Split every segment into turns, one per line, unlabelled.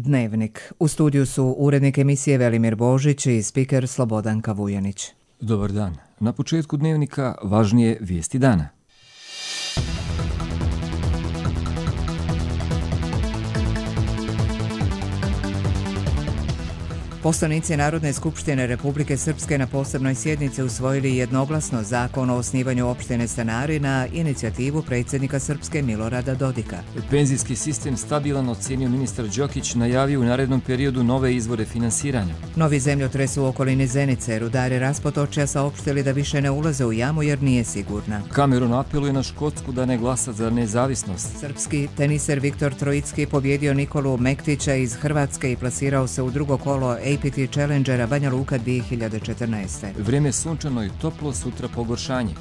Dnevnik. U studiju su urednik emisije Velimir Božić i spiker Slobodanka Vujanić.
Dobar dan. Na početku Dnevnika važnije vijesti dana.
Poslanici Narodne skupštine Republike Srpske na posebnoj sjednici usvojili jednoglasno zakon o osnivanju opštine Stanari na inicijativu predsjednika Srpske Milorada Dodika.
Penzijski sistem stabilan ocenio ministar Đokić, najavio u narednom periodu nove izvore finansiranja.
Novi zemljotres u okolini Zenice, rudari Raspotočja saopštili da više ne ulaze u jamu jer nije sigurna.
Cameron apeluje na Škotsku da ne glasa za nezavisnost.
Srpski teniser Viktor Trojicki pobjedio Nikolu Mektića iz Hrvatske i plasirao se u drugo kolo APT Challengera Banja Luka 2014.
Vrijeme sunčano i toplo, sutra pogoršanje.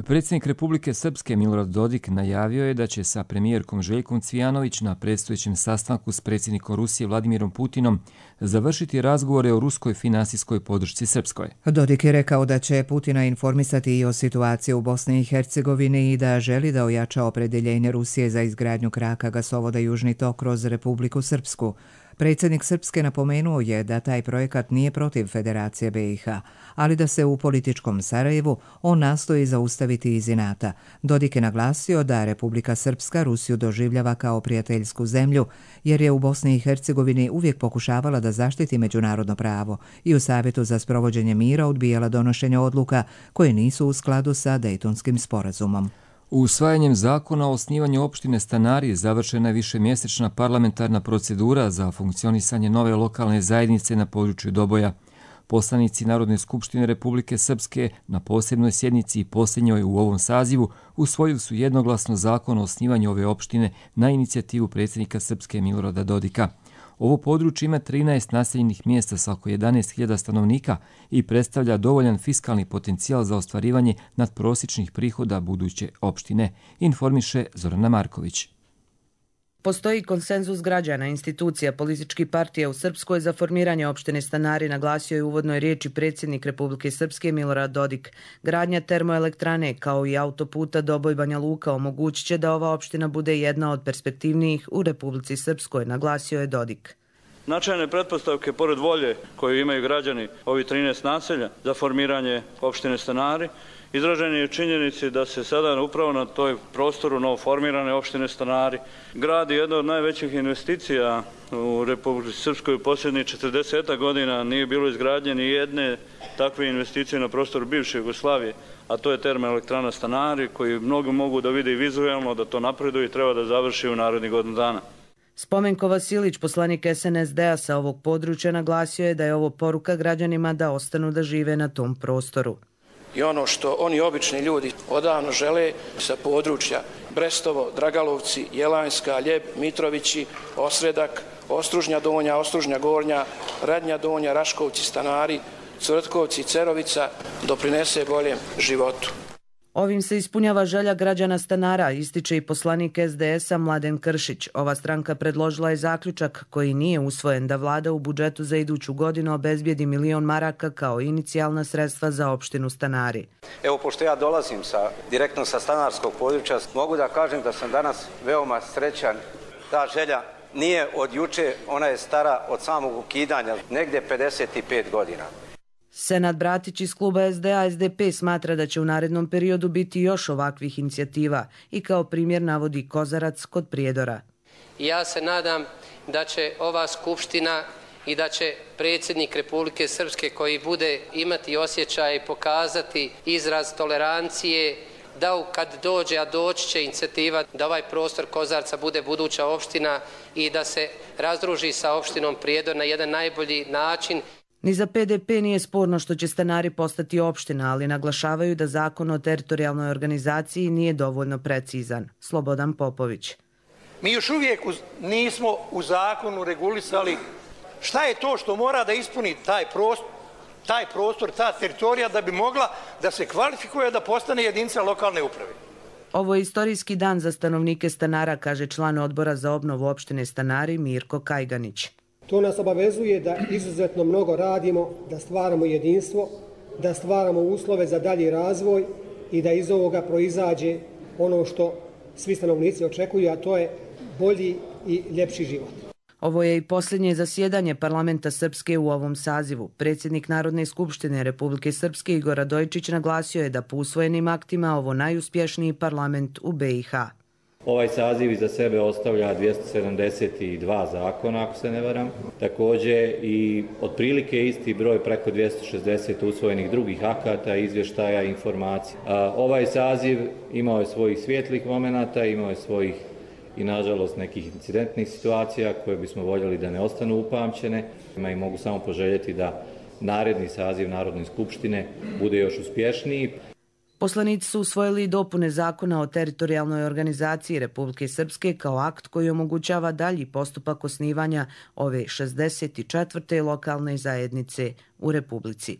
Predsjednik Republike Srpske Milorad Dodik najavio je da će sa premijerkom Željkom Cvijanović na predstojećem sastanku s predsjednikom Rusije Vladimirom Putinom završiti razgovore o ruskoj finansijskoj podršci Srpskoj.
Dodik je rekao da će Putina informisati i o situaciji u Bosni i Hercegovini i da želi da ojača opredjeljenje Rusije za izgradnju kraka gasovoda Južni tok kroz Republiku Srpsku. Predsjednik Srpske napomenuo je da taj projekat nije protiv Federacije BiH, ali da se u političkom Sarajevu on nastoji zaustaviti iz inata. Dodik je naglasio da Republika Srpska Rusiju doživljava kao prijateljsku zemlju, jer je u Bosni i Hercegovini uvijek pokušavala da zaštiti međunarodno pravo i u Savjetu za sprovođenje mira odbijala donošenje odluka koje nisu u skladu sa Dejtonskim sporazumom.
Usvajanjem zakona o osnivanju opštine Stanari završena je višemjesečna parlamentarna procedura za funkcionisanje nove lokalne zajednice na području Doboja. Poslanici Narodne skupštine Republike Srpske na posebnoj sjednici i posljednjoj u ovom sazivu usvojili su jednoglasno zakon o osnivanju ove opštine na inicijativu predsjednika Srpske Milorada Dodika. Ovo područje ima 13 naseljenih mjesta sa oko 11.000 stanovnika i predstavlja dovoljan fiskalni potencijal za ostvarivanje nadprosječnih prihoda buduće opštine, informiše Zorana Marković.
Postoji konsenzus građana, institucija, političkih partija u Srpskoj za formiranje opštine Stanari, naglasio je u uvodnoj riječi predsjednik Republike Srpske Milorad Dodik. Gradnja termoelektrane kao i autoputa Doboj Banja Luka omogućit će da ova opština bude jedna od perspektivnijih u Republici Srpskoj, naglasio je Dodik.
Značajne pretpostavke, pored volje koju imaju građani ovih 13 naselja za formiranje opštine Stanari, izraženi je činjenici da se sada upravo na toj prostoru novoformirane opštine Stanari gradi jedna od najvećih investicija u Republici Srpskoj u posljednjih 40 godina. Nije bilo izgradnje ni jedne takve investicije na prostoru bivše Jugoslavije, a to je termoelektrana Stanari, koji mnogi mogu da vide i vizualno da to napreduje i treba da završi u narednih godinu dana.
Spomenko Vasilić, poslanik SNSD-a sa ovog područja, naglasio je da je ovo poruka građanima da ostanu da žive na tom prostoru.
I ono što oni obični ljudi odavno žele sa područja Brestovo, Dragalovci, Jelanjska, Ljeb, Mitrovići, Osredak, Ostružnja Donja, Ostružnja Gornja, Radnja Donja, Raškovci, Stanari, Cvrtkovci, Cerovica doprinese boljem životu.
Ovim se ispunjava želja građana Stanara, ističe i poslanik SDS-a Mladen Kršić. Ova stranka predložila je zaključak koji nije usvojen da vlada u budžetu za iduću godinu obezbijedi 1 milion maraka kao inicijalna sredstva za opštinu Stanari.
Evo, pošto ja dolazim direktno sa stanarskog područja, mogu da kažem da sam danas veoma srećan. Ta želja nije od juče, ona je stara od samog ukidanja, negdje 55 godina.
Senad Bratić iz kluba SDA-SDP smatra da će u narednom periodu biti još ovakvih inicijativa i kao primjer navodi Kozarac kod Prijedora.
Ja se nadam da će ova skupština i da će predsjednik Republike Srpske koji bude imati osjećaj i pokazati izraz tolerancije, da kad dođe, a doći će inicijativa da ovaj prostor Kozarca bude buduća opština i da se razdruži sa opštinom Prijedor na jedan najbolji način.
Ni za PDP nije sporno što će Stanari postati opština, ali naglašavaju da zakon o teritorijalnoj organizaciji nije dovoljno precizan. Slobodan Popović.
Mi još uvijek nismo u zakonu regulisali šta je to što mora da ispuni taj prostor, ta teritorija da bi mogla da se kvalifikuje da postane jedinica lokalne uprave.
Ovo je istorijski dan za stanovnike Stanara, kaže član odbora za obnovu opštine Stanari Mirko Kajganić.
To nas obavezuje da izuzetno mnogo radimo, da stvaramo jedinstvo, da stvaramo uslove za dalji razvoj i da iz ovoga proizađe ono što svi stanovnici očekuju, a to je bolji i ljepši život.
Ovo je i posljednje zasjedanje parlamenta Srpske u ovom sazivu. Predsjednik Narodne skupštine Republike Srpske Igor Radojičić naglasio je da po usvojenim aktima ovo najuspješniji parlament u BiH.
Ovaj saziv iza sebe ostavlja 272 zakona, ako se ne varam. Također i otprilike isti broj, preko 260 usvojenih drugih akata, izvještaja i informacija. Ovaj saziv imao je svojih svijetlih momenata, imao je svojih i nažalost nekih incidentnih situacija koje bismo voljeli da ne ostanu upamćene. I mogu samo poželjeti da naredni saziv Narodne skupštine bude još uspješniji.
Poslanici su usvojili dopune zakona o teritorijalnoj organizaciji Republike Srpske kao akt koji omogućava dalji postupak osnivanja ove 64. lokalne zajednice u Republici.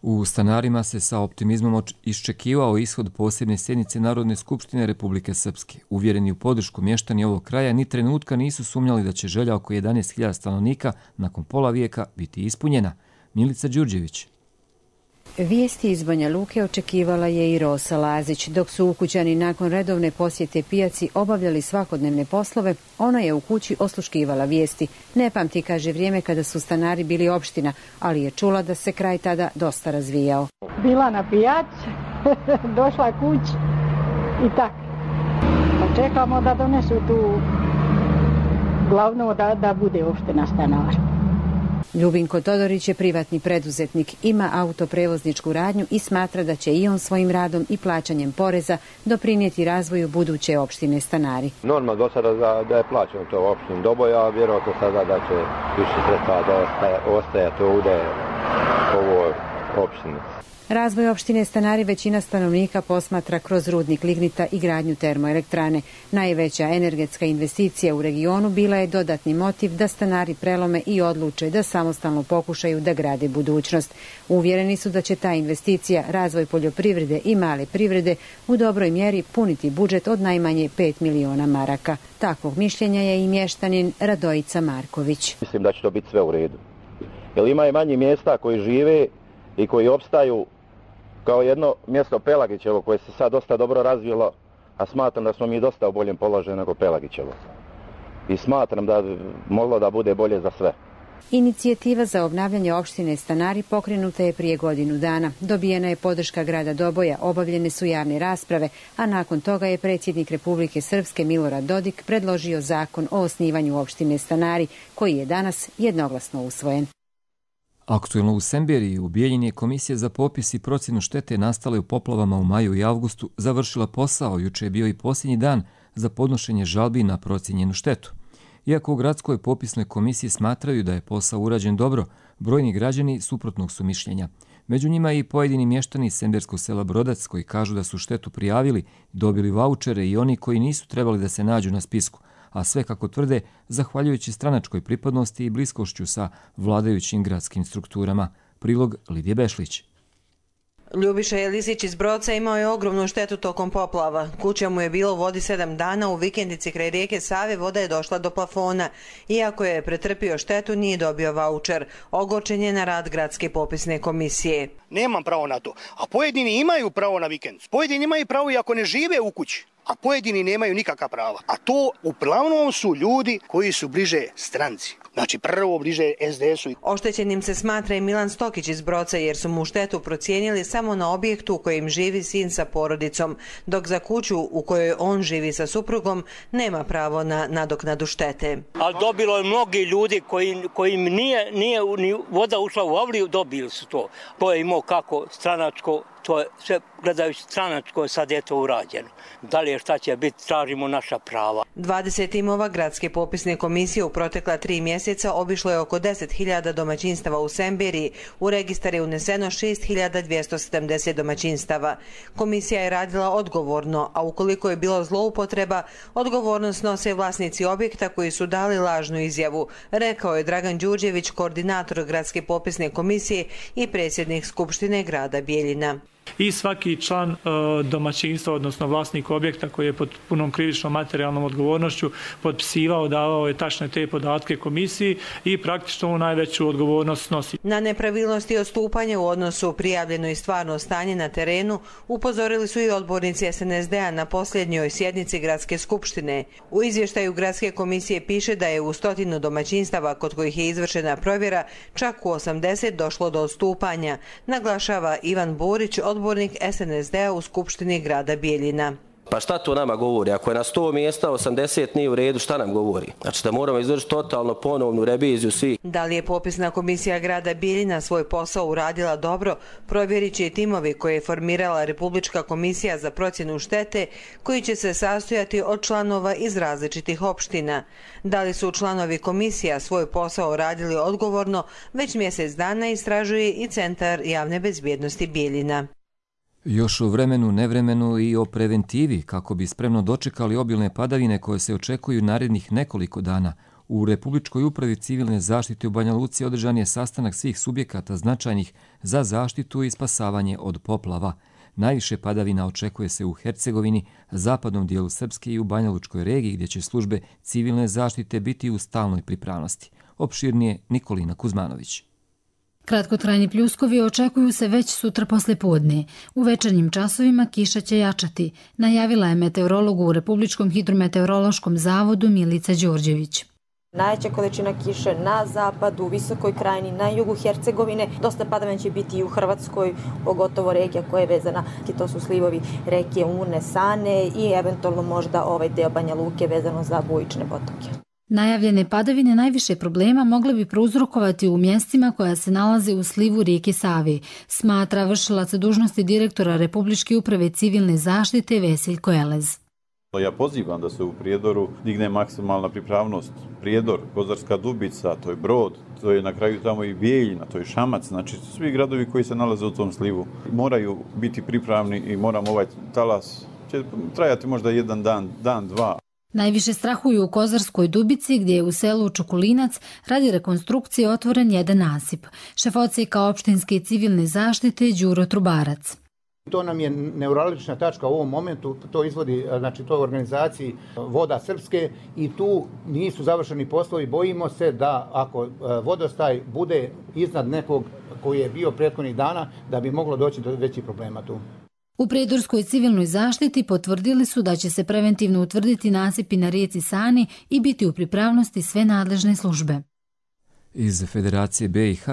U stanarima se sa optimizmom iščekivao ishod posebne sjednice Narodne skupštine Republike Srpske. Uvjereni u podršku mještani ovog kraja ni trenutka nisu sumnjali da će želja oko 11.000 stanovnika nakon pola vijeka biti ispunjena. Milica Đurđević.
Vijesti iz Banja Luke očekivala je i Rosa Lazić. Dok su ukućani nakon redovne posjete pijaci obavljali svakodnevne poslove, ona je u kući osluškivala vijesti. Ne pamti, kaže, vrijeme kada su stanari bili opština, ali je čula da se kraj tada dosta razvijao.
Bila na pijaci, došla kući i tak. Pa čekamo da donesu tu glavno da bude opština stanara.
Ljubinko Todorić je privatni preduzetnik, ima autoprevozničku radnju i smatra da će i on svojim radom i plaćanjem poreza doprinijeti razvoju buduće opštine Stanari.
Normalno do sada da je plaćeno to opštini Doboja, a vjerojatno sada da će više sredstva da ostajati ovdje u ovoj opštini.
Razvoj opštine Stanari većina stanovnika posmatra kroz rudnik lignita i gradnju termoelektrane. Najveća energetska investicija u regionu bila je dodatni motiv da stanari prelome i odluče da samostalno pokušaju da grade budućnost. Uvjereni su da će ta investicija, razvoj poljoprivrede i male privrede u dobroj mjeri puniti budžet od najmanje 5 miliona maraka. Takvog mišljenja je i mještanin Radojica Marković.
Mislim da će to biti sve u redu. Jer ima i manje mjesta koji žive i koji opstaju kao jedno mjesto Pelagićevo koje se sad dosta dobro razvilo, a smatram da smo mi dosta u boljem položaju nego Pelagićevo. I smatram da moglo da bude bolje za sve.
Inicijativa za obnavljanje opštine Stanari pokrenuta je prije godinu dana. Dobijena je podrška grada Doboja, obavljene su javne rasprave, a nakon toga je predsjednik Republike Srpske Milorad Dodik predložio zakon o osnivanju opštine Stanari, koji je danas jednoglasno usvojen.
Aktuelno u Semberiji u Bijeljini je Komisija za popis i procjenu štete nastale u poplavama u maju i avgustu završila posao. Juče je bio i posljednji dan za podnošenje žalbi na procijenjenu štetu. Iako u gradskoj popisnoj komisiji smatraju da je posao urađen dobro, brojni građani suprotnog su mišljenja. Među njima i pojedini mještani semberskog sela Brodac koji kažu da su štetu prijavili, dobili vaučere i oni koji nisu trebali da se nađu na spisku, a sve, kako tvrde, zahvaljujući stranačkoj pripadnosti i bliskošću sa vladajućim gradskim strukturama. Prilog Lidije Bešlić.
Ljubiša Jelisić iz Brodca imao je ogromnu štetu tokom poplava. Kuća mu je bila u vodi 7 dana, u vikendici kraj rijeke Save voda je došla do plafona. Iako je pretrpio štetu, nije dobio vaučer. Ogorčen je na rad gradske popisne komisije.
Nemam pravo na to, a pojedini imaju pravo na vikend. Pojedini imaju pravo i ako ne žive u kući, a pojedini nemaju nikakva prava. A to uglavnom su ljudi koji su bliže stranci. Znači prvo bliže SDS-u.
Oštećenim se smatra i Milan Stokić iz Broca jer su mu štetu procijenili samo na objektu u kojem živi sin sa porodicom, dok za kuću u kojoj on živi sa suprugom nema pravo na nadoknadu štete.
Ali dobilo je mnogi ljudi kojim nije ni voda ušla u avliju, dobili su to. To je imao kako stranačko, to je sve gledajući stranačko, sad je to urađeno. Dalje šta će biti, tražimo naša prava.
20 timova gradske popisne komisije u protekla 3 mjeseca obišlo je oko 10.000 domaćinstava u Semberiji. U registar je uneseno 6.270 domaćinstava. Komisija je radila odgovorno, a ukoliko je bilo zloupotreba, odgovornost nose vlasnici objekta koji su dali lažnu izjavu, rekao je Dragan Đurđević, koordinator gradske popisne komisije i predsjednik Skupštine grada Bijeljina.
I svaki član domaćinstva, odnosno vlasnik objekta koji je pod punom krivičnom materijalnom odgovornošću potpisivao, davao je tačne te podatke komisiji i praktično najveću odgovornost snosi.
Na nepravilnosti i odstupanje u odnosu prijavljeno i stvarno stanje na terenu upozorili su i odbornici SNSD-a na posljednjoj sjednici Gradske skupštine. U izvještaju Gradske komisije piše da je u 100 domaćinstava kod kojih je izvršena provjera čak u 80 došlo do odstupanja, naglašava Ivan Borić, odbornik SNSD-a u Skupštini grada Bijeljina.
Pa šta to nama govori? Ako je na 100 mjesta 80 nije u redu, šta nam govori? Znači da moramo izvršiti totalno ponovnu reviziju svi.
Da li je popisna komisija grada Bijeljina svoj posao uradila dobro, provjerit će i timovi koje je formirala Republička komisija za procjenu štete, koji će se sastojati od članova iz različitih opština. Da li su članovi komisija svoj posao radili odgovorno, već mjesec dana istražuje i Centar javne bezbjednosti Bijeljina.
Još o vremenu, nevremenu i o preventivi kako bi spremno dočekali obilne padavine koje se očekuju narednih nekoliko dana. U Republičkoj upravi civilne zaštite u Banja Luci održan je sastanak svih subjekata značajnih za zaštitu i spasavanje od poplava. Najviše padavina očekuje se u Hercegovini, zapadnom dijelu Srpske i u Banja Lučkoj regiji gdje će službe civilne zaštite biti u stalnoj pripravnosti. Opširnije Nikolina Kuzmanović.
Kratkotrajni pljuskovi očekuju se već sutra poslijepodne. U večernjim časovima kiša će jačati, najavila je meteorolog u Republičkom hidrometeorološkom zavodu Milica Đorđević.
Najveća količina kiše na zapadu, u Visokoj krajini, na jugu Hercegovine. Dosta padavina će biti i u Hrvatskoj, pogotovo regija koja je vezana, to su slivovi reke Une, Sane i eventualno možda ovaj deo Banja Luke vezano za bujične potoke.
Najavljene padavine najviše problema mogle bi prouzrokovati u mjestima koja se nalaze u slivu rijeke Save, smatra vršilac dužnosti direktora Republičke uprave civilne zaštite Veseljko Elez.
Ja pozivam da se u Prijedoru digne maksimalna pripravnost. Prijedor, Kozarska Dubica, to je Brod, to je na kraju tamo i Bijeljina, to je Šamac, znači svi gradovi koji se nalaze u tom slivu moraju biti pripravni i moramo ovaj talas, će trajati možda jedan dan, dva.
Najviše strahuju u Kozarskoj Dubici gdje je u selu Čukulinac radi rekonstrukcije otvoren jedan nasip. Šef odsjeka opštinske i civilne zaštite Đuro Trubarac.
To nam je neuralgična tačka u ovom momentu, to izvodi, znači to je u organizaciji Voda Srpske i tu nisu završeni poslovi. Bojimo se da ako vodostaj bude iznad nekog koji je bio prethodnih dana, da bi moglo doći do većih problema tu.
U Prijedorskoj civilnoj zaštiti potvrdili su da će se preventivno utvrditi nasipi na rijeci Sani i biti u pripravnosti sve nadležne službe.
Iz Federacije BiH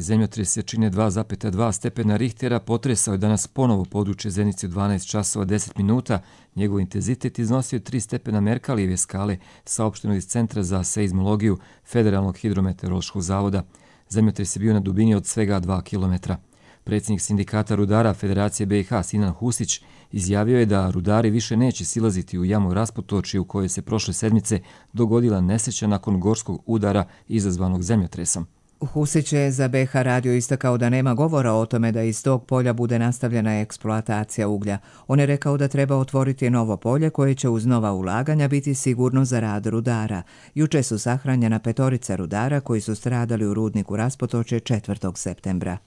zemljotresi čine 2,2 stepena Richtera potresao je danas ponovo područje Zenice u 12 časova 10 minuta. Njegov intenzitet iznosio 3 stepena Merkalijeve skale, saopšteno iz Centra za seizmologiju Federalnog hidrometeorološkog zavoda. Zemljotres je bio na dubini od svega 2 kilometra. Predsjednik sindikata rudara Federacije BiH Sinan Husić izjavio je da rudari više neće silaziti u jamu Rasputoči u kojoj se prošle sedmice dogodila nesreća nakon gorskog udara izazvanog zemljotresom.
Husić je za BiH radio istakao da nema govora o tome da iz tog polja bude nastavljena eksploatacija uglja. On je rekao da treba otvoriti novo polje koje će uz nova ulaganja biti sigurno za rad rudara. Juče su sahranjena 5 rudara koji su stradali u rudniku Rasputoče 4. septembra.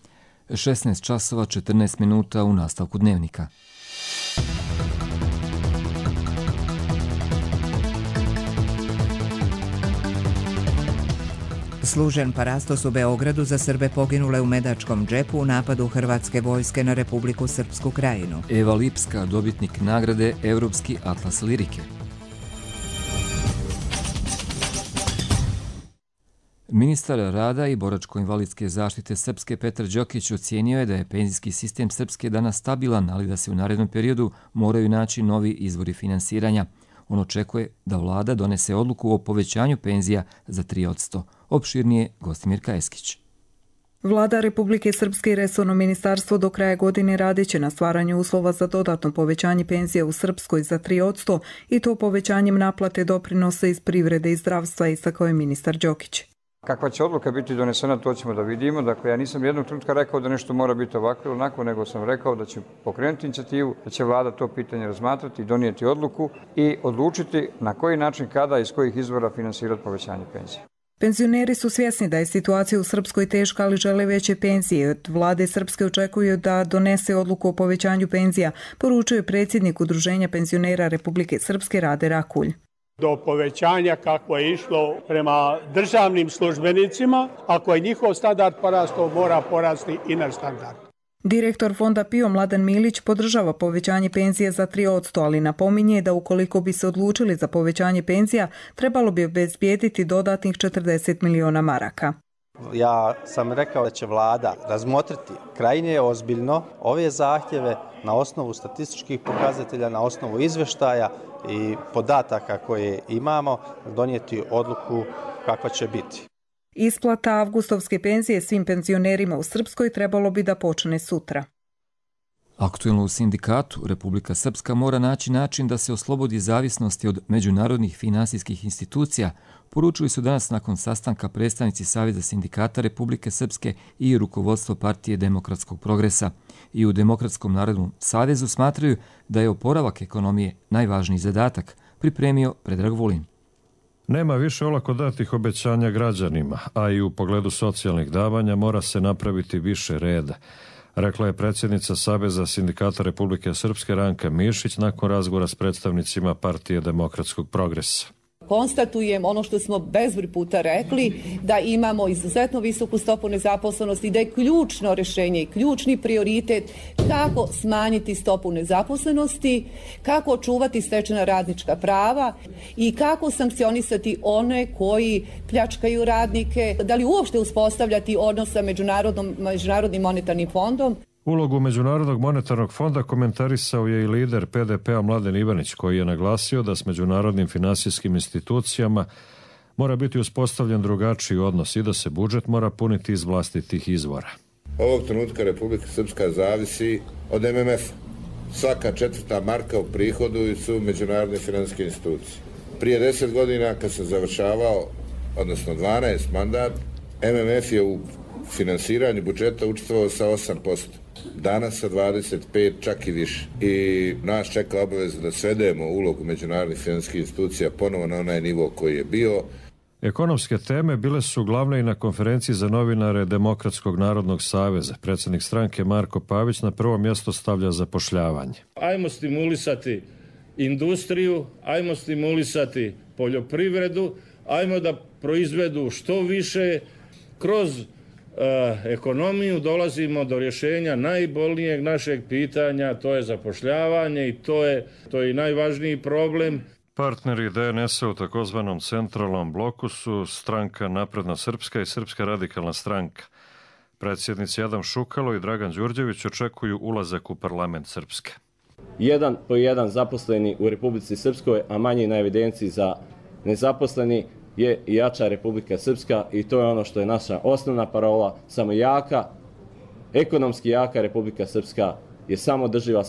16 časova 14 minuta u nastavku dnevnika.
Služen parastos u Beogradu za Srbe poginule u Medačkom džepu u napadu Hrvatske vojske na Republiku Srpsku Krajinu.
Eva Lipska, dobitnik nagrade Evropski atlas lirike. Ministar rada i boračko-invalidske zaštite Srpske Petar Đokić ocijenio je da je penzijski sistem Srpske danas stabilan, ali da se u narednom periodu moraju naći novi izvori finansiranja. On očekuje da vlada donese odluku o povećanju penzija za 3%. Opširnije Gostimirka Eskić.
Vlada Republike Srpske i resorno ministarstvo do kraja godine radit će na stvaranju uslova za dodatno povećanje penzija u Srpskoj za 3% i to povećanjem naplate doprinosa iz privrede i zdravstva, istakao je ministar Đokić.
Kakva će odluka biti donesena, to ćemo da vidimo. Dakle, ja nisam jednog trenutka rekao da nešto mora biti ovako ili onako, nego sam rekao da će pokrenuti inicijativu, da će vlada to pitanje razmatrati, donijeti odluku i odlučiti na koji način, kada i iz kojih izvora finansirati povećanje penzije.
Penzioneri su svjesni da je situacija u Srpskoj teška, ali žele veće penzije. Od vlade Srpske očekuju da donese odluku o povećanju penzija, poručuje predsjednik Udruženja penzionera Republike Srpske Rade Rakulj.
Do povećanja kako je išlo prema državnim službenicima, ako je njihov standard porastao, mora porasti i naš standard.
Direktor Fonda PIO Mladen Milić podržava povećanje penzije za 3%, ali napominje da ukoliko bi se odlučili za povećanje penzija, trebalo bi obezbijediti dodatnih 40 miliona maraka.
Ja sam rekao da će vlada razmotriti krajnje ozbiljno ove zahtjeve na osnovu statističkih pokazatelja, na osnovu izvještaja i podataka koje imamo, donijeti odluku kakva će biti.
Isplata avgustovske penzije svim penzionerima u Srpskoj trebalo bi da počne sutra.
Aktuelno u sindikatu, Republika Srpska mora naći način da se oslobodi zavisnosti od međunarodnih finansijskih institucija, poručili su danas nakon sastanka predstavnici Saveza sindikata Republike Srpske i rukovodstvo Partije demokratskog progresa. I u Demokratskom narodnom savezu smatraju da je oporavak ekonomije najvažniji zadatak, pripremio Predrag Vulin.
Nema više olako datih obećanja građanima, a i u pogledu socijalnih davanja mora se napraviti više reda, rekla je predsjednica Saveza sindikata Republike Srpske Ranka Mišić nakon razgovora s predstavnicima Partije demokratskog progresa.
Konstatujem ono što smo bezbroj puta rekli, da imamo izuzetno visoku stopu nezaposlenosti, da je ključno rješenje i ključni prioritet kako smanjiti stopu nezaposlenosti, kako očuvati stečena radnička prava i kako sankcionisati one koji pljačkaju radnike, da li uopšte uspostavljati odnos sa Međunarodnim monetarnim fondom.
Ulogu Međunarodnog monetarnog fonda komentarisao je i lider PDP-a Mladen Ivanić, koji je naglasio da s međunarodnim finansijskim institucijama mora biti uspostavljen drugačiji odnos i da se budžet mora puniti iz vlastitih izvora.
Ovog trenutka Republika Srpska zavisi od MMF. Svaka četvrta marka u prihodu su međunarodne finansijske institucije. Prije 10 godina kad sam završavao, odnosno 12 mandat, MMF je u finansiranju budžeta učestvovao sa 8%. Danas sa 25, čak i više. I nas čeka obaveza da svedemo ulogu međunarodnih financijskih institucija ponovo na onaj nivo koji je bio.
Ekonomske teme bile su glavne i na konferenciji za novinare Demokratskog narodnog saveza. Predsjednik stranke Marko Pavić na prvo mjesto stavlja zapošljavanje.
Ajmo stimulisati industriju, ajmo stimulisati poljoprivredu, ajmo da proizvedu što više. Kroz ekonomiju dolazimo do rješenja najbolnijeg našeg pitanja, to je zapošljavanje i to je i najvažniji problem.
Partneri DNS-a u takozvanom centralnom bloku su Stranka Napredna Srpska i Srpska radikalna stranka. Predsjednici Adam Šukalo i Dragan Đurđević očekuju ulazak u parlament Srpske.
1 po 1 zaposleni u Republici Srpskoj, a manji na evidenciji za nezaposleni, je jača Republika Srpska i to je ono što je naša osnovna parola. Samo jaka, ekonomski jaka Republika Srpska je samo drživa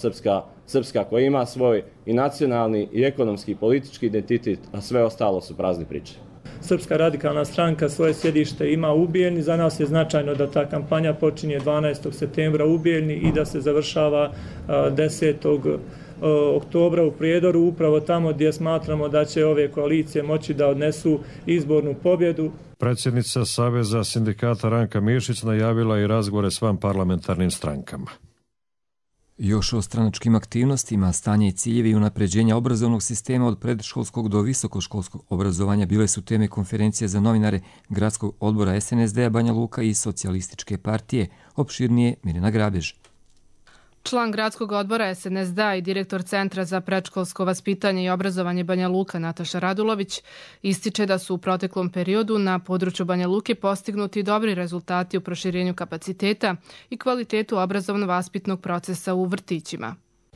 Srpska koja ima svoj i nacionalni i ekonomski i politički identitet, a sve ostalo su prazne priče.
Srpska radikalna stranka svoje sjedište ima u Bijeljni. Za nas je značajno da ta kampanja počinje 12. septembra u Bijeljni i da se završava 10. oktobra u Prijedoru, upravo tamo gdje smatramo da će ove koalicije moći da odnesu izbornu pobjedu.
Predsjednica Saveza sindikata Ranka Mišić najavila i razgovore s vanparlamentarnim strankama.
Još o stranačkim aktivnostima, stanje i ciljevi unapređenja obrazovnog sistema od predškolskog do visokoškolskog obrazovanja bile su teme konferencije za novinare Gradskog odbora SNSD-a Banja Luka i Socijalističke partije. Opširnije Mirjana Grabež.
Član Gradskog odbora SNSD-a i direktor Centra za predškolsko vaspitanje i obrazovanje Banja Luka Nataša Radulović ističe da su u proteklom periodu na području Banja Luke postignuti dobri rezultati u proširenju kapaciteta i kvalitetu obrazovno-vaspitnog procesa u vrtićima.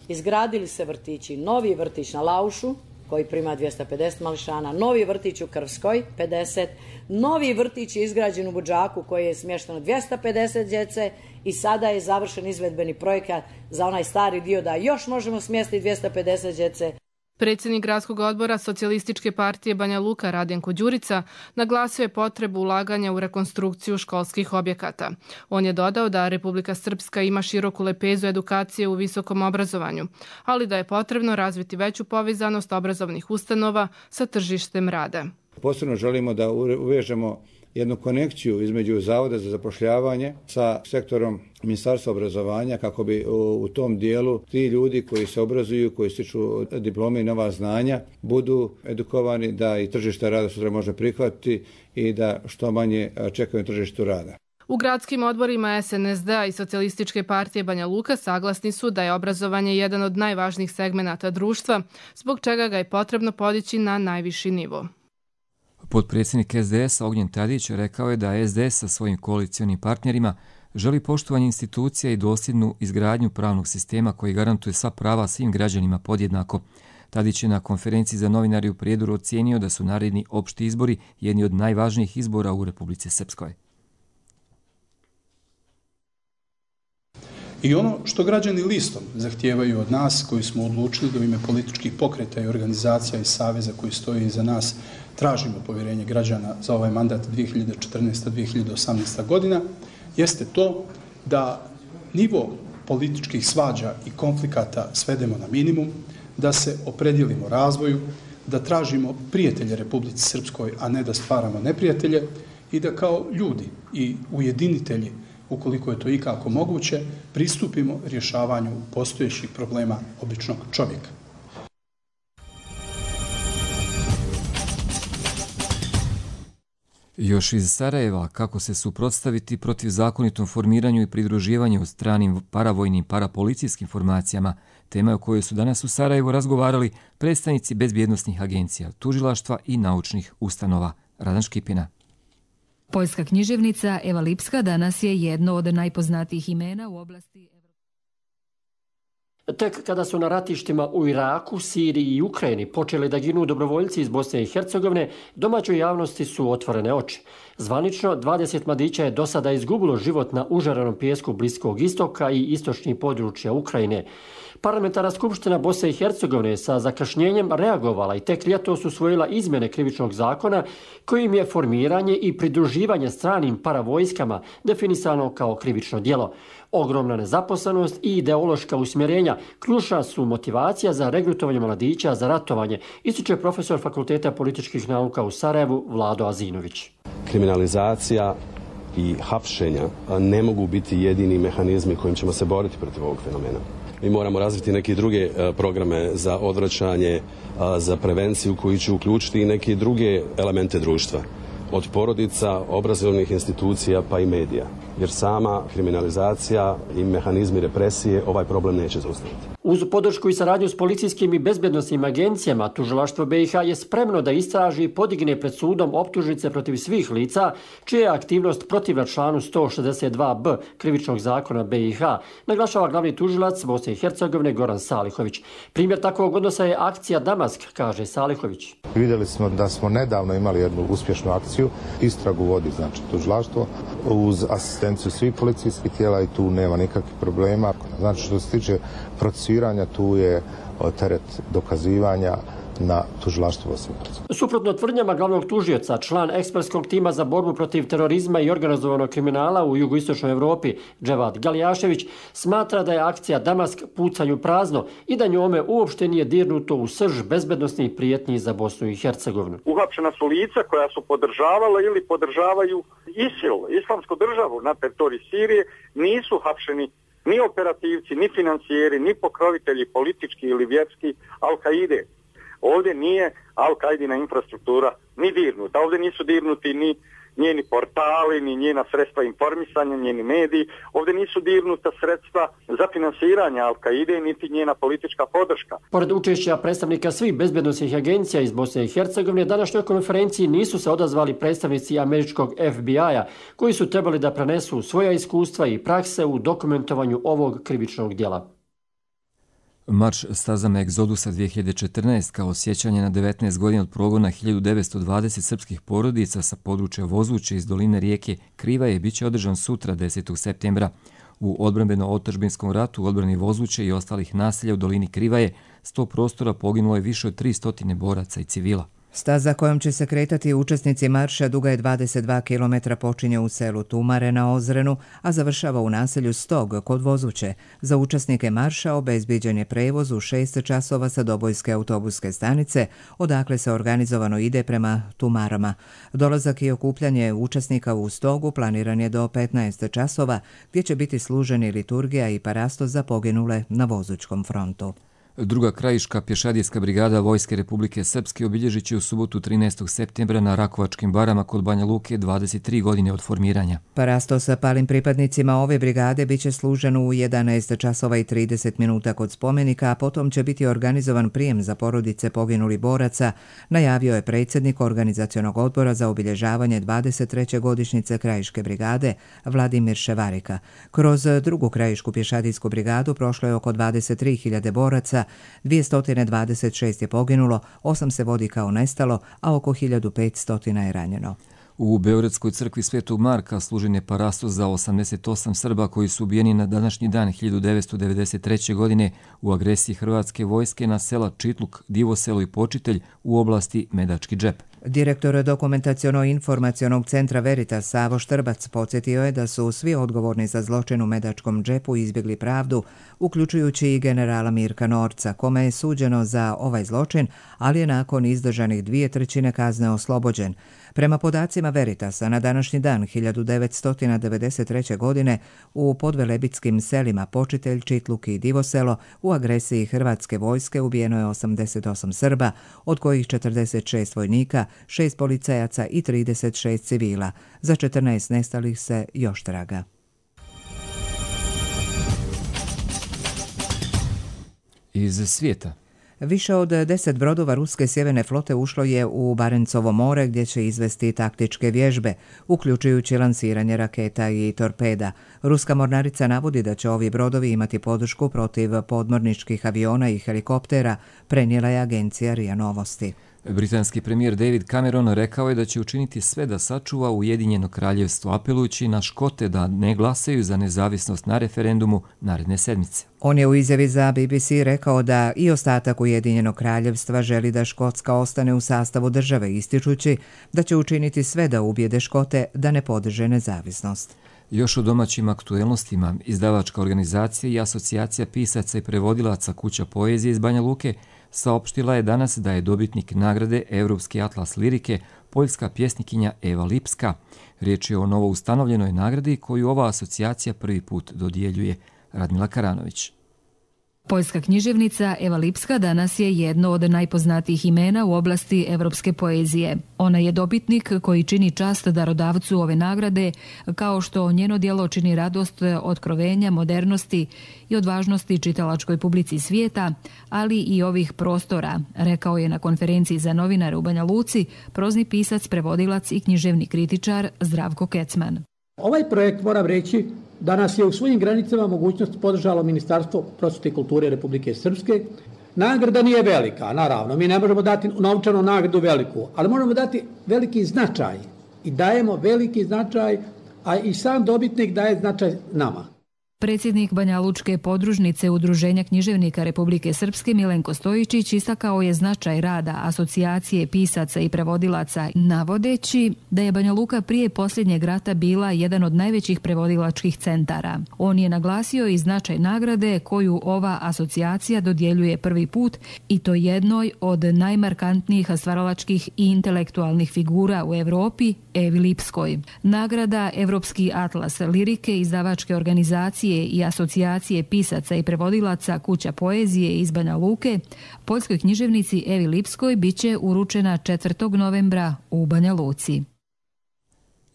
Izgradili se vrtići, novi vrtić na Laušu koji prima 250 mališana, novi vrtić u Krvskoj 50, novi vrtić je izgrađen u Budžaku koji je smješteno 250 djece i sada je završen izvedbeni projekat za onaj stari dio da još možemo smjestiti 250 djece.
Predsjednik Gradskog odbora Socijalističke partije Banja Luka Radjenko Đurica naglasio je potrebu ulaganja u rekonstrukciju školskih objekata. On je dodao da Republika Srpska ima široku lepezu edukacije u visokom obrazovanju, ali da je potrebno razviti veću povezanost obrazovnih ustanova sa tržištem rada.
Posebno želimo da uvežemo jednu konekciju između Zavoda za zapošljavanje sa sektorom Ministarstva obrazovanja kako bi u tom dijelu ti ljudi koji se obrazuju, koji stiču diplome i nova znanja budu edukovani da i tržište rada sutra može prihvatiti i da što manje čekaju tržištu rada.
U gradskim odborima SNSD-a i Socijalističke partije Banja Luka saglasni su da je obrazovanje jedan od najvažnijih segmenata društva, zbog čega ga je potrebno podići na najviši nivo.
Potpredsjednik SDS-a Ognjen Tadić rekao je da SDS sa svojim koalicionim partnerima želi poštovanje institucija i dosljednu izgradnju pravnog sistema koji garantuje sva prava svim građanima podjednako. Tadić je na konferenciji za novinari u Prijedoru ocijenio da su naredni opšti izbori jedni od najvažnijih izbora u Republici Srpskoj.
I ono što građani listom zahtijevaju od nas koji smo odlučili da u ime političkih pokreta i organizacija i saveza koji stoji iza nas tražimo povjerenje građana za ovaj mandat 2014-2018 godina, jeste to da nivo političkih svađa i konflikata svedemo na minimum, da se opredijelimo razvoju, da tražimo prijatelje Republici Srpskoj, a ne da stvaramo neprijatelje i da kao ljudi i ujedinitelji, ukoliko je to ikako moguće, pristupimo rješavanju postojećih problema običnog čovjeka.
Još iz Sarajeva, kako se suprotstaviti protiv zakonitom formiranju i pridruživanju stranim paravojnim parapolicijskim formacijama, tema o kojoj su danas u Sarajevu razgovarali predstavnici bezbjednosnih agencija, tužilaštva i naučnih ustanova. Radan Škipina.
Poljska književnica Eva Lipska danas je jedno od najpoznatijih imena u oblasti...
Tek kada su na ratištima u Iraku, Siriji i Ukrajini počeli da ginu dobrovoljci iz Bosne i Hercegovine, domaćoj javnosti su otvorene oči. Zvanično, 20 mladića je do sada izgubilo život na užarenom pijesku Bliskog istoka i istočnih područja Ukrajine. Parlamentarna skupština Bosne i Hercegovine sa zakašnjenjem reagovala i tek ljetos usvojila izmjene krivičnog zakona kojim je formiranje i pridruživanje stranim paravojskama definisano kao krivično djelo. Ogromna nezaposlenost i ideološka usmjerenja ključna su motivacija za regrutovanje mladića za ratovanje, ističe profesor Fakulteta političkih nauka u Sarajevu Vlado Azinović.
Kriminalizacija i hapšenja ne mogu biti jedini mehanizmi kojim ćemo se boriti protiv ovog fenomena. Mi moramo razviti neke druge programe za odvraćanje, za prevenciju koji će uključiti i neke druge elemente društva. Od porodica, obrazovnih institucija pa i medija. Jer sama kriminalizacija i mehanizmi represije ovaj problem neće zaustaviti.
Uz podršku i saradnju s policijskim i bezbjednosnim agencijama, tužilaštvo BiH je spremno da istraži i podigne pred sudom optužnice protiv svih lica, čija je aktivnost protivna članu 162b krivičnog zakona BiH, naglašava glavni tužilac Bosne i Hercegovine Goran Salihović. Primjer takvog odnosa je akcija Damask, kaže Salihović.
Vidjeli smo da smo nedavno imali jednu uspješnu akciju, istragu vodi znači tužilaštvo uz asistenciju svih policijskih tijela i tu nema nikakvih problema. Znači što se tiče procesuiranja, tu je teret dokazivanja na tužilaštvu Bosne i Hercegovine.
Suprotno tvrdnjama glavnog tužioca, član ekspertskog tima za borbu protiv terorizma i organizovanog kriminala u jugoistočnoj Evropi, Dževad Galijašević, smatra da je akcija Damask pucanju prazno i da njome uopšte nije dirnuto u srž bezbednosnih prijetnji za Bosnu i Hercegovinu.
Uhapšena su lica koja su podržavala ili podržavaju ISIL, islamsku državu na teritoriji Sirije, nisu hapšeni ni operativci, ni financijeri, ni pokrovitelji politički ili vjerski Al-Kaide. Ovdje nije Al-Kaidina infrastruktura ni dirnuta. Ovdje nisu dirnuti ni njeni portali, ni njena sredstva informisanja, njeni mediji. Ovdje nisu dirnuta sredstva za finansiranje Al-Kaide, niti njena politička podrška.
Pored učešća predstavnika svih bezbjednosnih agencija iz Bosne i Hercegovine, današnjoj konferenciji nisu se odazvali predstavnici američkog FBI-a, koji su trebali da prenesu svoja iskustva i prakse u dokumentovanju ovog krivičnog djela.
Marš stazama Egzodusa 2014 kao sjećanje na 19 godina od progona 1920 srpskih porodica sa područja Vozuće iz doline rijeke Krivaje biće održan sutra 10. septembra. U odbrambeno-otadžbinskom ratu u odbrani Vozuće i ostalih naselja u dolini Krivaje 100 prostora poginulo je više od 300 boraca i civila.
Staza kojom će se kretati učesnici marša duga je 22 km, počinje u selu Tumare na Ozrenu, a završava u naselju Stog kod Vozuće. Za učesnike marša obezbijeđen je prevoz u 6 časova sa Dobojske autobuske stanice, odakle se organizovano ide prema Tumarama. Dolazak i okupljanje učesnika u Stogu planiran je do 15 časova, gdje će biti služeni liturgija i parasto za poginule na Vozućkom frontu.
Druga krajiška pješadijska brigada Vojske Republike Srpske obilježit će u subotu 13. septembra na Rakovačkim barama kod Banja Luke 23 godine od formiranja.
Parasto sa palim pripadnicima ove brigade bit će služen u 11 časova i 30 minuta kod spomenika, a potom će biti organizovan prijem za porodice poginulih boraca, najavio je predsjednik Organizacionog odbora za obilježavanje 23. godišnjice krajiške brigade Vladimir Ševarika. Kroz drugu krajišku pješadijsku brigadu prošlo je oko 23.000 boraca, 226 je poginulo, 8 se vodi kao nestalo, a oko 1500 je ranjeno.
U Beogradskoj crkvi Svetog Marka služen je parastos za 88 Srba koji su ubijeni na današnji dan 1993. godine u agresiji Hrvatske vojske na sela Čitluk, Divoselo i Počitelj u oblasti Medački džep.
Direktor dokumentaciono-informacionog centra Veritas Savo Štrbac podsjetio je da su svi odgovorni za zločin u Medačkom džepu izbjegli pravdu, uključujući i generala Mirka Norca, kome je suđeno za ovaj zločin, ali je nakon izdržanih 2/3 kazne oslobođen. Prema podacima Veritasa, na današnji dan 1993. godine u podvelebitskim selima Počitelj, Čitluk i Divoselo u agresiji Hrvatske vojske ubijeno je 88 Srba, od kojih 46 vojnika, 6 policajaca i 36 civila. Za 14 nestalih se još traga.
Iz svijeta.
Više od 10 brodova ruske sjeverne flote ušlo je u Barencovo more gdje će izvesti taktičke vježbe, uključujući lansiranje raketa i torpeda. Ruska mornarica navodi da će ovi brodovi imati podršku protiv podmorničkih aviona i helikoptera, prenijela je agencija RIA Novosti.
Britanski premijer David Cameron rekao je da će učiniti sve da sačuva Ujedinjeno kraljevstvo, apelujući na Škote da ne glasaju za nezavisnost na referendumu naredne sedmice.
On je u izjavi za BBC rekao da i ostatak Ujedinjenog kraljevstva želi da Škotska ostane u sastavu države, ističući da će učiniti sve da ubijede Škote da ne podrže nezavisnost.
Još o domaćim aktuelnostima, izdavačka organizacija i asocijacija pisaca i prevodilaca Kuća poezije iz Banja Luke saopštila je danas da je dobitnik nagrade Evropski atlas lirike poljska pjesnikinja Eva Lipska. Riječ je o novo ustanovljenoj nagradi koju ova asocijacija prvi put dodjeljuje. Radmila Karanović.
Poljska književnica Eva Lipska danas je jedno od najpoznatijih imena u oblasti evropske poezije. Ona je dobitnik koji čini čast darodavcu ove nagrade, kao što njeno djelo čini radost otkrovenja, modernosti i odvažnosti čitalačkoj publici svijeta, ali i ovih prostora, rekao je na konferenciji za novinare u Banja Luci prozni pisac, prevodilac i književni kritičar Zdravko Kecman.
Ovaj projekt, moram reći, danas je u svojim granicama mogućnost podržalo Ministarstvo prosvjete i kulture Republike Srpske. Nagrada nije velika, naravno, mi ne možemo dati novčanu nagradu veliku, ali možemo dati veliki značaj i dajemo veliki značaj, a i sam dobitnik daje značaj nama.
Predsjednik Banja Lučke podružnice Udruženja književnika Republike Srpske Milenko Stojičić istakao je značaj rada asocijacije pisaca i prevodilaca, navodeći da je Banja Luka prije posljednjeg rata bila jedan od najvećih prevodilačkih centara. On je naglasio i značaj nagrade koju ova asocijacija dodjeljuje prvi put, i to jednoj od najmarkantnijih stvaralačkih i intelektualnih figura u Europi, Evi Lipskoj. Nagrada Evropski atlas lirike izdavačke organizacije i asocijacije pisaca i prevodilaca Kuća poezije iz Banja Luke poljskoj književnici Evi Lipskoj biće uručena 4. novembra u Banja Luci.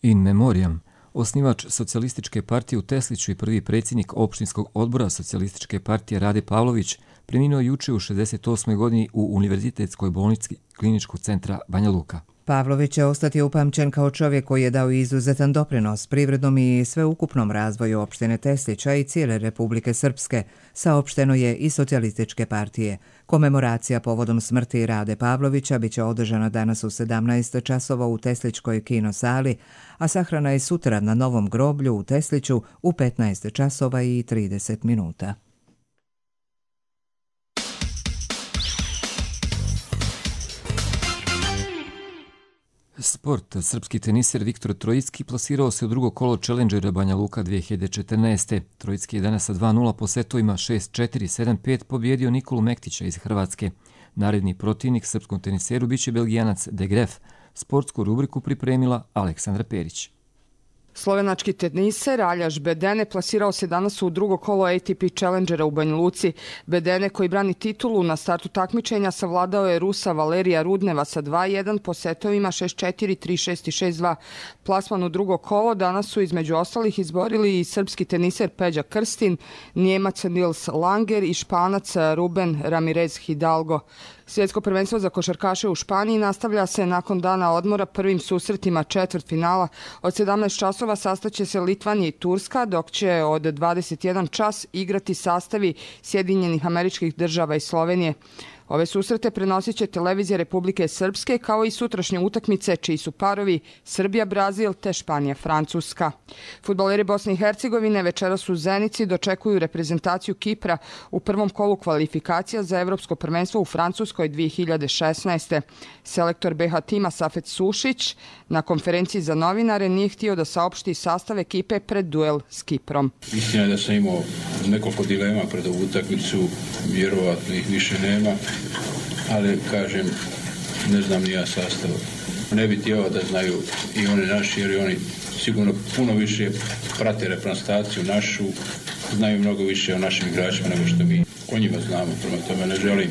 In memoriam. Osnivač Socijalističke partije u Tesliću i prvi predsjednik opštinskog odbora Socijalističke partije Rade Pavlović preminuo juče u 68. godini u Univerzitetskoj bolnici Kliničkog centra Banja Luka.
Pavlović će ostati upamćen kao čovjek koji je dao izuzetan doprinos privrednom i sveukupnom razvoju opštine Teslića i cijele Republike Srpske, saopšteno je i Socijalističke partije. Komemoracija povodom smrti Rade Pavlovića biće održana danas u 17 časova u Teslićkoj kinosali, a sahrana je sutra na novom groblju u Tesliću u 15 časova i 30 minuta.
Sport. Srpski teniser Viktor Trojicki plasirao se u drugo kolo Challengera Banja Luka 2014. Trojicki je danas sa 2-0 po setovima 6-4, 7-5 pobjedio Nikolu Mektića iz Hrvatske. Naredni protivnik srpskom teniseru biće Belgijanac De Gref. Sportsku rubriku pripremila Aleksandra Perić.
Slovenački teniser Aljaž Bedene plasirao se danas u drugo kolo ATP Challengera u Banja Luci. Bedene, koji brani titulu na startu takmičenja, savladao je Rusa Valerija Rudneva sa 2-1 po setovima 6-4, 3-6 i 6-2. Plasman u drugo kolo danas su između ostalih izborili i srpski teniser Peđa Krstin, Njemac Nils Langer i Španac Ruben Ramirez Hidalgo. Svjetsko prvenstvo za košarkaše u Španiji nastavlja se nakon dana odmora prvim susretima četvrtfinala. Od 17 časova sastaće se Litvanija i Turska, dok će od 21 čas igrati sastavi Sjedinjenih Američkih Država i Slovenije. Ove susrete prenosit će televizija Republike Srpske, kao i sutrašnje utakmice čiji su parovi Srbija-Brazil te Španija-Francuska. Fudbaleri Bosne i Hercegovine večeras u Zenici dočekuju reprezentaciju Kipra u prvom kolu kvalifikacija za Evropsko prvenstvo u Francuskoj 2016. Selektor BH tima Safet Sušić na konferenciji za novinare nije htio da saopšti sastav ekipe pred duel s Kiprom.
Istina je da sam imao nekoliko dilema pred ovu utakmicu, vjerovatno ih više nema, ali kažem, ne znam ni ja sastav. Ne bi htio da znaju i oni naši, jer oni sigurno puno više prate reprezentaciju našu, znaju mnogo više o našim igračima nego što mi o njima znamo, prema tome ne želim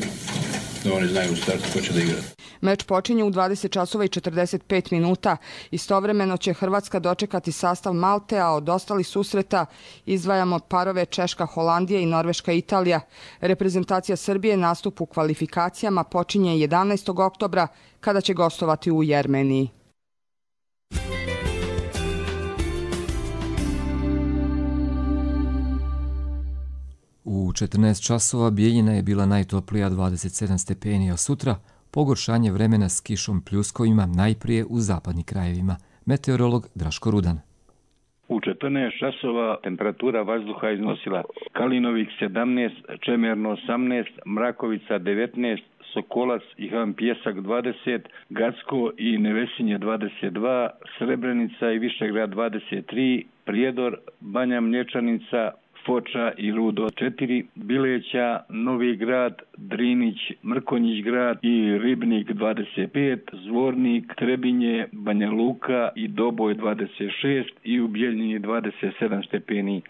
da oni znaju u startu ko će da igra.
Meč počinje u 20 časova i 45 minuta. Istovremeno će Hrvatska dočekati sastav Malte, a od ostalih susreta izdvajamo parove Češka-Holandija i Norveška-Italija. Reprezentacija Srbije nastup u kvalifikacijama počinje 11. oktobra kada će gostovati u Jermeniji.
U 14 časova Bijeljina je bila najtoplija 27 stepeni, a sutra pogoršanje vremena s kišom pljuskovima najprije u zapadnim krajevima. Meteorolog Draško Rudan.
U 14 časova temperatura vazduha iznosila Kalinovik 17, Čemerno 18, Mrakovica 19, Sokolac i Han Pjesak 20, Gacko i Nevesinje 22, Srebrenica i Višegrad 23, Prijedor, Banja Mlječanica, Foča i Rudo 4, Bileća, Novi Grad, Drinić, Mrkonjić grad i Ribnik 25, Zvornik, Trebinje, Banja Luka i Doboj 26 i u Bijeljini 27 stepeni.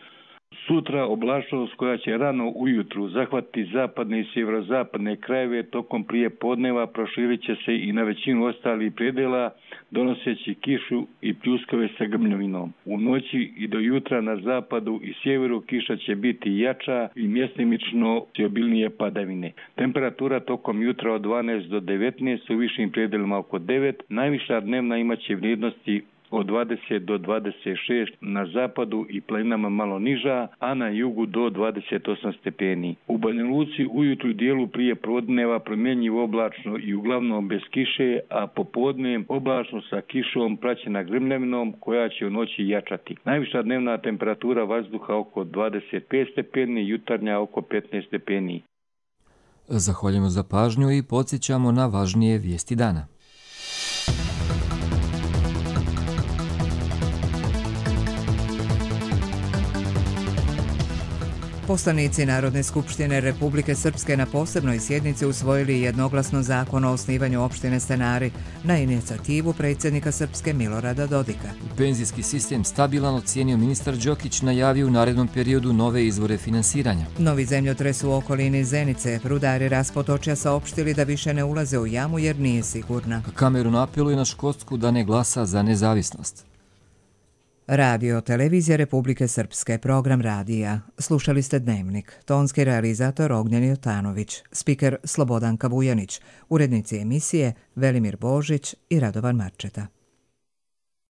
Sutra oblačnost koja će rano ujutru zahvatiti zapadne i sjeverozapadne krajeve tokom prije podneva proširit će se i na većinu ostalih predela, donoseći kišu i pljuskove sa grmljovinom. U noći i do jutra na zapadu i sjeveru kiša će biti jača i mjestimično obilnije padavine. Temperatura tokom jutra od 12 do 19, u višim predelima oko 9, najviša dnevna imaće vrijednosti od 20 do 26 na zapadu i planinama malo niža, a na jugu do 28 stepeni. U Banja Luci ujutru dijelu prije podneva promjenjivo oblačno i uglavnom bez kiše, a popodne oblačno sa kišom praćena grmljavinom koja će u noći jačati. Najviša dnevna temperatura vazduha oko 25 stepeni, jutarnja oko 15 stepeni.
Zahvaljujemo za pažnju i podsjećamo na važnije vijesti dana.
Poslanici Narodne skupštine Republike Srpske na posebnoj sjednici usvojili jednoglasno zakon o osnivanju opštine Stanari na inicijativu predsjednika Srpske Milorada Dodika.
Penzijski sistem stabilan ocijenio ministar Đokić, najavio u narednom periodu nove izvore finansiranja.
Novi zemljotres u okolini Zenice, rudari Raspotočja saopštili da više ne ulaze u jamu jer nije sigurna.
Kamerun apeluje na Škotsku da ne glasa za nezavisnost.
Radio Televizija Republike Srpske, program radija. Slušali ste Dnevnik. Tonski realizator Ognjen Jotanović, spiker Slobodanka Vujanić, urednici emisije Velimir Božić i Radovan Marčeta.